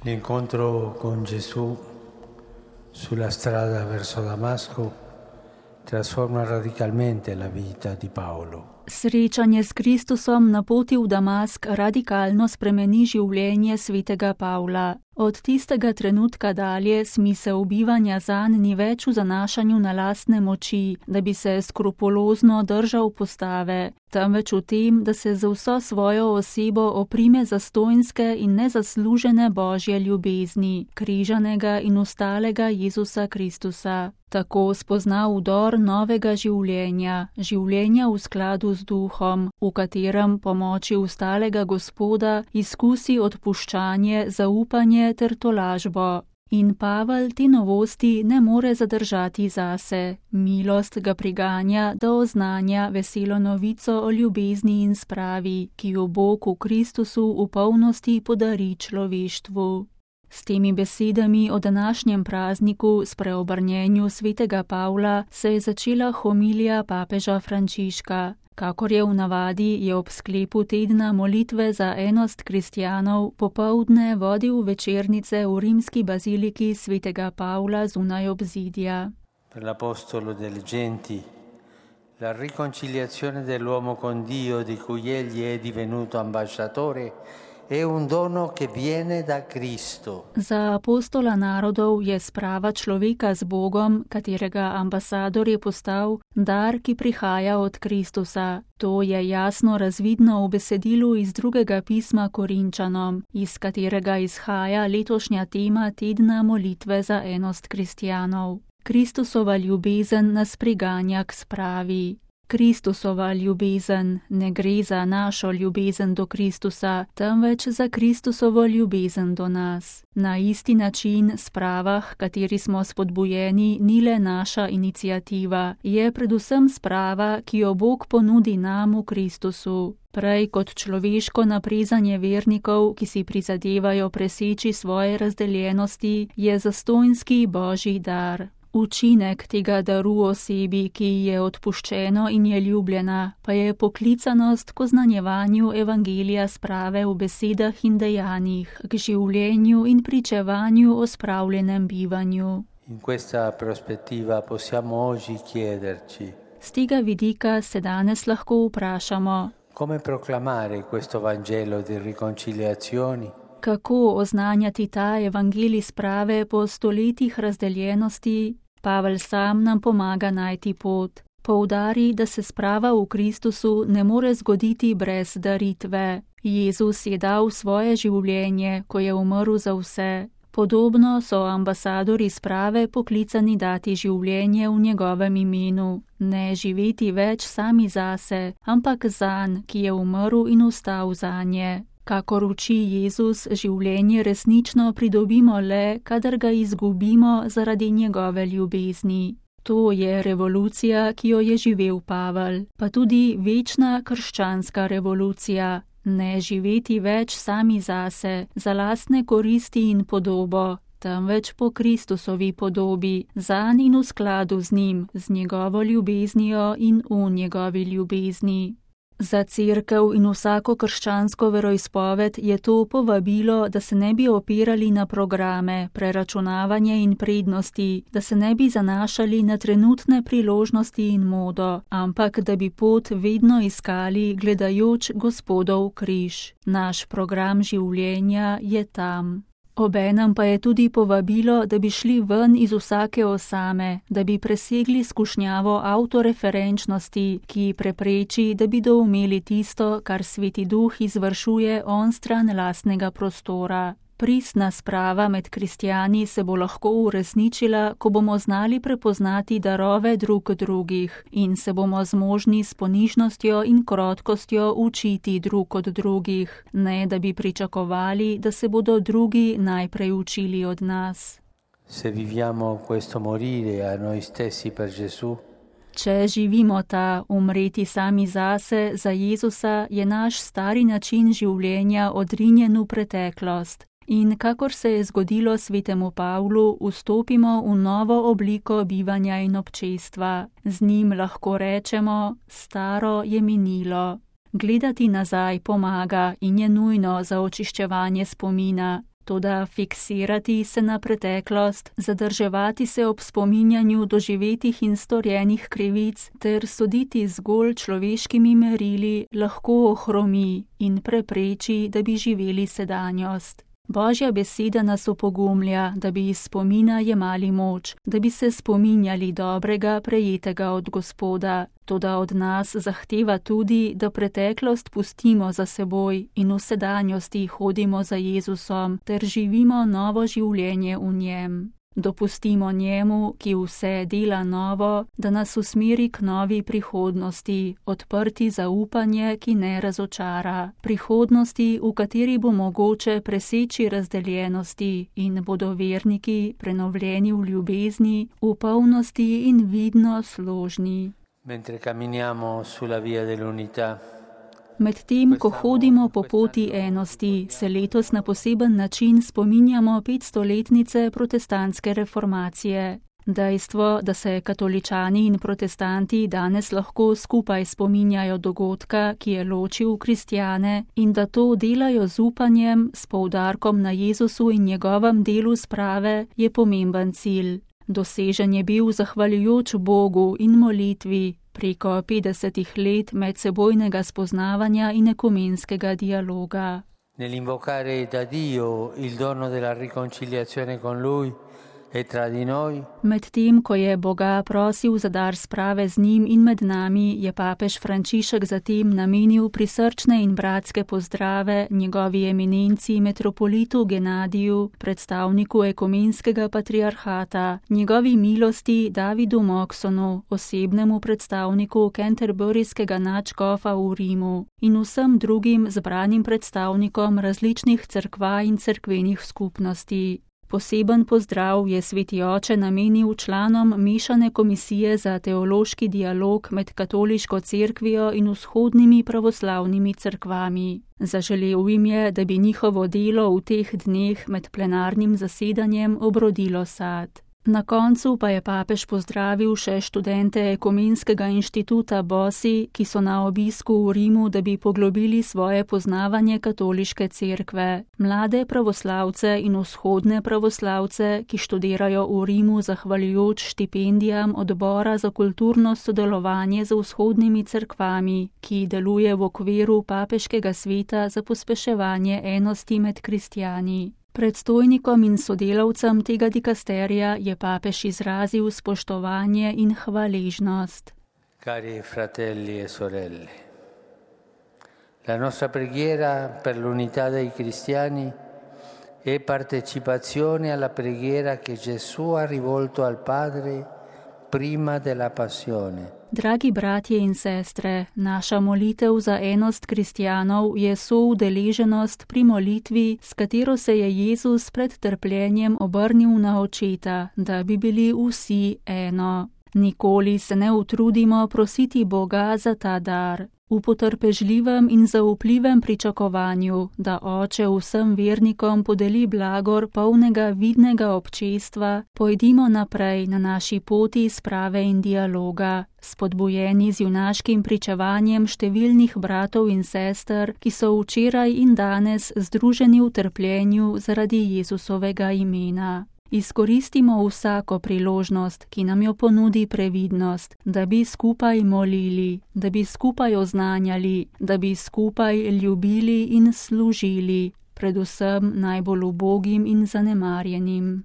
L'incontro con Gesù sulla strada verso Damasco trasforma radicalmente la vita di Paolo. Srečanje s Kristusom na poti v Damask radikalno spremeni življenje svetega Pavla. Od tistega trenutka dalje smisel bivanja zanj ni več v zanašanju na lastne moči, da bi se skrupulozno držal postave, temveč v tem, da se z vso svojo osebo oprime zastonjske in nezaslužene Božje ljubezni, križanega in ustalega Jezusa Kristusa. Tako spozna vdor novega življenja, življenja v skladu z duhom, v katerem pomoči ustalega Gospoda izkusi odpuščanje, zaupanje ter tolažbo. In Pavel te novosti ne more zadržati zase. Milost ga priganja, da oznanja veselo novico o ljubezni in spravi, ki jo Bog v Kristusu v polnosti podari človeštvu. S temi besedami o današnjem prazniku, spreobrnjenju svetega Pavla, se je začela homilija papeža Frančiška. Kakor je v navadi, je ob sklepu tedna molitve za enost kristjanov popoldne vodil večernice v rimski baziliki svetega Pavla zunaj obzidja. Per l'Apostolo delle genti, la riconciliazione dell'uomo con Dio di cui egli è divenuto ambasciatore è un dono che viene da Cristo. Za apostola narodov je sprava človeka z Bogom, katerega ambasador je postal, dar, ki prihaja od Kristusa. To je jasno razvidno v besedilu iz drugega pisma Korinčanom, iz katerega izhaja letošnja tema tedna molitve za enost kristjanov. Kristusova ljubezen nas priganja k spravi. Kristusova ljubezen, ne gre za našo ljubezen do Kristusa, temveč za Kristusovo ljubezen do nas. Na isti način sprava, kateri smo spodbujeni, ni le naša iniciativa, je predvsem sprava, ki jo Bog ponudi nam v Kristusu. Prej kot človeško naprezanje vernikov, ki si prizadevajo preseči svoje razdeljenosti, je zastonjski Božji dar. Učinek tega daru osebi, ki je odpuščeno in je ljubljena, pa je poklicanost k oznanjevanju evangelija sprave v besedah in dejanjih, k življenju in pričevanju o spravljenem bivanju. In questa prospettiva possiamo oggi chiederci: Z tega vidika se danes lahko vprašamo, come proclamare questo Vangelo di riconciliazioni? Kako oznanjati ta evangelij sprave po stoletjih razdeljenosti? Pavel sam nam pomaga najti pot. Poudari, da se sprava v Kristusu ne more zgoditi brez daritve. Jezus je dal svoje življenje, ko je umrl za vse. Podobno so ambasadori sprave poklicani dati življenje v njegovem imenu. Ne živeti več sami zase, ampak zanj, ki je umrl in vstal zanje. Kakor uči Jezus, življenje resnično pridobimo le, kadar ga izgubimo zaradi njegove ljubezni. To je revolucija, ki jo je živel Pavel, pa tudi večna krščanska revolucija. Ne živeti več sami zase, za lastne koristi in podobo, temveč po Kristusovi podobi, zanj in v skladu z njim, z njegovo ljubeznijo in v njegovi ljubezni. Za cerkev in vsako krščansko veroizpoved je to povabilo, da se ne bi opirali na programe, preračunavanje in prednosti, da se ne bi zanašali na trenutne priložnosti in modo, ampak da bi pot vedno iskali, gledajoč Gospodov križ. Naš program življenja je tam. Obenem pa je tudi povabilo, da bi šli ven iz vsake osame, da bi presegli skušnjavo avtoreferenčnosti, ki prepreči, da bi doumeli tisto, kar Sveti Duh izvršuje onstran lastnega prostora. Pristna sprava med kristjani se bo lahko uresničila, ko bomo znali prepoznati darove drug drugih in se bomo zmožni s ponižnostjo in krotkostjo učiti drug od drugih, ne da bi pričakovali, da se bodo drugi najprej učili od nas. Se viviamo questo morire a noi stessi per Gesù, Če živimo ta umreti sami zase, za Jezusa, je naš stari način življenja odrinjen v preteklost. In kakor se je zgodilo svetemu Pavlu, vstopimo v novo obliko bivanja in občestva. Z njim lahko rečemo, staro je minilo. Gledati nazaj pomaga in je nujno za očiščevanje spomina. Toda fiksirati se na preteklost, zadrževati se ob spominjanju doživetih in storjenih krivic ter soditi zgolj človeškimi merili lahko ohromi in prepreči, da bi živeli sedanjost. Božja beseda nas opogumlja, da bi iz spomina jemali moč, da bi se spominjali dobrega, prejetega od Gospoda. Toda od nas zahteva tudi, da preteklost pustimo za seboj in v sedanjosti hodimo za Jezusom ter živimo novo življenje v njem. Dopustimo njemu, ki vse dela novo, da nas usmeri k novi prihodnosti, odprti za upanje, ki ne razočara, prihodnosti, v kateri bo mogoče preseči razdeljenosti in bodo verniki prenovljeni v ljubezni, v polnosti in vidno složni. Mentre camminiamo sulla via dell'unità, Medtem, ko hodimo po poti enosti, se letos na poseben način spominjamo 500-letnice protestantske reformacije. Dejstvo, da se katoličani in protestanti danes lahko skupaj spominjajo dogodka, ki je ločil kristjane, in da to delajo z upanjem, s poudarkom na Jezusu in njegovem delu sprave, je pomemben cilj. Dosežen je bil zahvaljujoč Bogu in molitvi, preko 50 let medsebojnega spoznavanja in ekumenskega dialoga. Nell'invocare da Dio il dono della riconciliazione con Lui e tra di noi, Medtem, ko je Boga prosil za dar sprave z njim in med nami, je papež Frančišek zatem namenil prisrčne in bratske pozdrave njegovi eminenci metropolitu Genadiju, predstavniku ekumenskega patriarhata, njegovi milosti Davidu Moksonu, osebnemu predstavniku Canterburyskega nadškofa v Rimu in vsem drugim zbranim predstavnikom različnih cerkva in cerkvenih skupnosti. Poseben pozdrav je sveti oče namenil članom mešane komisije za teološki dialog med katoliško cerkvijo in vzhodnimi pravoslavnimi cerkvami. Zaželel jim je, da bi njihovo delo v teh dneh med plenarnim zasedanjem obrodilo sad. Na koncu pa je papež pozdravil še študente Ekumenskega inštituta BOSI, ki so na obisku v Rimu, da bi poglobili svoje poznavanje katoliške cerkve. Mlade pravoslavce in vzhodne pravoslavce, ki študirajo v Rimu zahvaljujoč štipendijam Odbora za kulturno sodelovanje z vzhodnimi cerkvami, ki deluje v okviru papeškega sveta za pospeševanje enosti med kristjani. Predstojnikom in sodelavcem tega dikasterija je papež izrazil spoštovanje in hvaležnost. Cari fratelli e sorelle, la nostra preghiera per l'unità dei cristiani è partecipazione alla preghiera che Gesù ha rivolto al Padre prima della passione. Dragi bratje in sestre, naša molitev za enost kristjanov je soudeleženost pri molitvi, s katero se je Jezus pred trpljenjem obrnil na očeta, da bi bili vsi eno. Nikoli se ne utrudimo prositi Boga za ta dar. V potrpežljivem in zaupljivem pričakovanju, da Oče vsem vernikom podeli blagor polnega vidnega občestva, pojdimo naprej na naši poti sprave in dialoga, spodbujeni z junaškim pričevanjem številnih bratov in sester, ki so včeraj in danes združeni v trpljenju zaradi Jezusovega imena. Izkoristimo vsako priložnost, ki nam jo ponudi previdnost, da bi skupaj molili, da bi skupaj oznanjali, da bi skupaj ljubili in služili, predvsem najbolj ubogim in zanemarjenim.